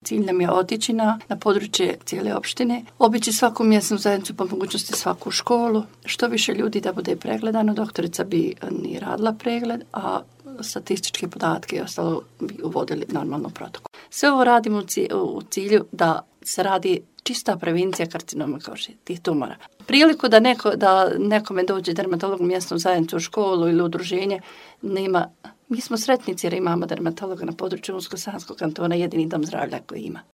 Cilj nam je otići na područje cijele opštine, obići svaku mjesnu zajednicu, po mogućnosti svaku školu, što više ljudi da bude pregledano. Doktorica bi ni radila pregled, a statističke podatke i ostalo bi uvodili normalno protokol. Sve ovo radimo u cilju da se radi čista prevencija karcinoma kože, tih tumora. Priliku da nekome dođe dermatolog u mjesnu zajednicu, u školu ili udruženje, nema. Mi smo sretnici jer imamo dermatologa na području Unsko-Sanskog kantona, jedini dom zdravlja koji ima.